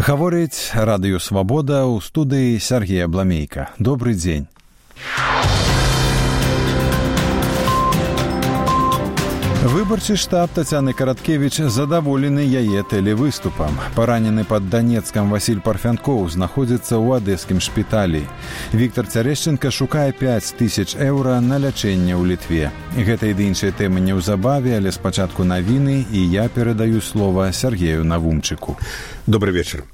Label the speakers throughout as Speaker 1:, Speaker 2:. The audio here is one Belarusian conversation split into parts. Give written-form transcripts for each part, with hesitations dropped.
Speaker 1: Гаворыць радыё «Свабода» ў студыі Сергея Бламейка. Добрый дзень. Выбарчы штаб Тацяны Караткевіч задаволены яе тэлевыступам. Паранены пад Данецкам Васіль Парфянкоў знаходзіцца ў адэскім шпіталі. Віктор Цярэшченка шукае 5000 еўра на лячэнне ў Літве. Гэта і іншыя тэмы неўзабаве, але спачатку навіны, і я перадаю слова Сергею Навумчыку.
Speaker 2: Добрый вечер.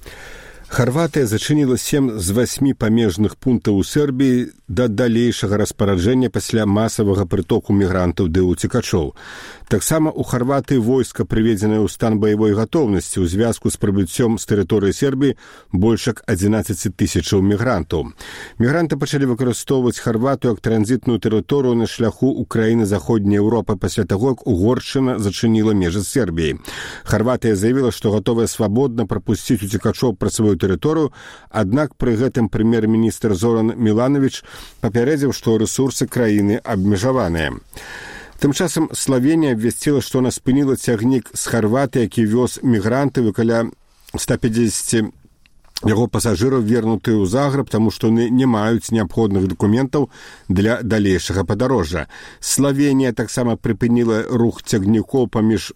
Speaker 2: Харватыя зачыніла 7 з 8 памежных пунктаў у Сербіі да далейшага распараджэння пасля масавага прытоку мігрантаў ды ўцекачоў. Таксама ў Харватыі войска прыведзенае ў стан баявой гатоўнасці ў звязку з прыбыццём з тэрыторыі Сербіі больш як 11 000 мігрантаў. Мігранты пачалі выкарыстоўваць Харватыю як транзітную тэрыторыю на шляху ў краіны заходняй Еўропы пасля таго, як Угоршчына зачыніла межы з Сербіяй. Харватыя заявіла, што гатовая свабодна прапусціць уцекачоў праз сваю тэрыторыю, аднак пры гэтым прэм'ер-міністр Зоран Мілановіч папярэдзіў, што рэсурсы краіны абмежаваныя. Тым часам Славенія абвясціла, што она спыніла цягнік з Харватыі, які вёз мігрантаў, і каля 150 яго пасажыраў вернутыя ў Загрэб, таму што яны не маюць неабходных дакументаў для далейшага падарожжа. Славенія таксама прыпыніла рух цягнікоў паміж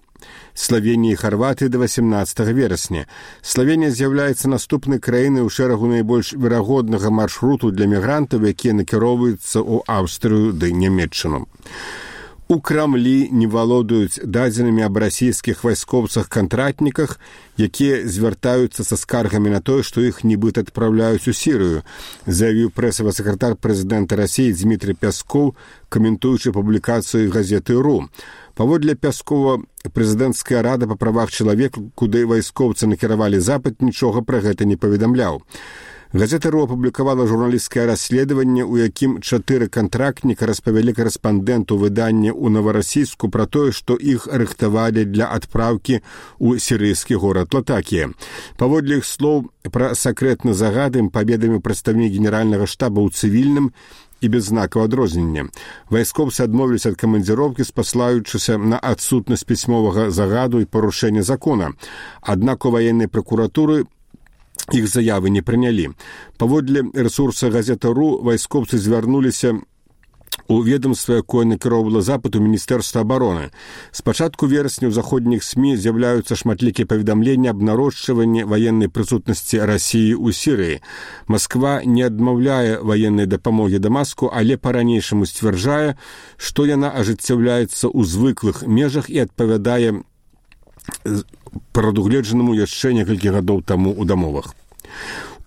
Speaker 2: Славенії і Харватыі да 18 верасня. Славенія з'яўляецца наступнай краінай у шэрагу найбольш верагоднага маршруту для мігрантаў, якія накіроўваюцца ў Аўстрыю ды Нямецчыну. У Крамлі не валодаюць дадзенымі аб расійскіх вайскоўцах-кантрактніках, якія звяртаюцца са скаргамі на тое, што іх нібыта адпраўляюць у Сірыю, заявіў прэсавы сакратар прэзідэнта Расіі Дмітрий Пяскоў, каментуючы публікацыю газеты «РУ». Паводле Пяскова, прэзідэнцкая рада па правах чалавека, куды вайскоўцы накіравалі запыт, нічога пра гэта не паведамляў. Газета «РУ» апублікавала журналісцкае расследаванне, у якім 4 кантрактніка распавялі карэспандэнту выдання ў Наварасійску пра тое, што іх рыхтавалі для адпраўкі ў сірыйскі горад Латакія. Паводле іх слоў, пра сакрэтны загад ім паведаміў прадстаўнік генеральнага штаба ў цывільным і без знакаў адрознення. Вайскоўцы адмовіліся ад камандзіроўкі, спаслаючыся на адсутнасць пісьмовага загаду і парушэння закона. Аднак у ваеннай пракуратуры іх заявы не прынялі. Паводле рэсурса газета «РУ» вайскоўцы звярнуліся у ведомства, якое накіроўвала запыт у Міністэрства абароны. З пачатку верасня ў заходніх СМІ з'яўляюцца шматлікія паведамленні аб нарошчванні ваеннай прысутнасці Расіі ў Сірыі. Масква не адмаўляе ваеннай дапамогі Дамаску, але па-ранейшаму сцвярджае, што яна ажыццяўляецца ў звыклых межах і адпавядае прадугледжанаму яшчэ некалькі гадоў таму ў дамовах.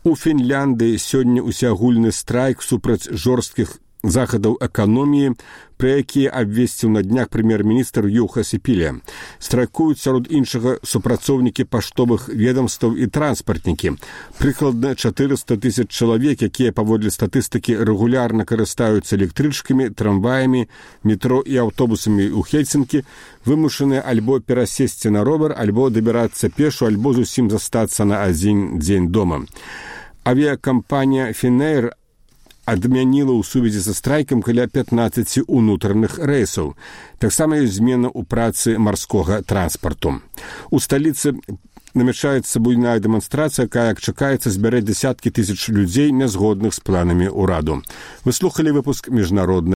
Speaker 2: У Фінляндыі сёння усеагульны страйк супраць жорсткіх захадаў эканоміі, пра якія абвесціў на днях прэм'ер-міністр Юха Сіпіле. Страйкуюць сярод іншага супрацоўнікі паштовых ведамстваў і транспартнікі. Прыкладна 400 000 чалавек, якія паводле статыстыкі рэгулярна карыстаюцца электрычкамі, трамваямі, метро і аўтобусамі ў Хельсінкі, вымушаныя альбо перасесці на ровар, альбо дабірацца пешу, альбо зусім застацца на адзін дзень дома. Авіякампанія «Фінэйр» адмяніла ў сувязі са страйкам каля 15 унутраных рэйсаў. Таксама ёсць змена ў працы марскога транспарту. У сталіцы намячаецца буйная дэманстрацыя, якая, як чакаецца, збярэ дзясяткі тысяч людзей, нязгодных з планамі ўраду. Вы слухалі выпуск міжнароднай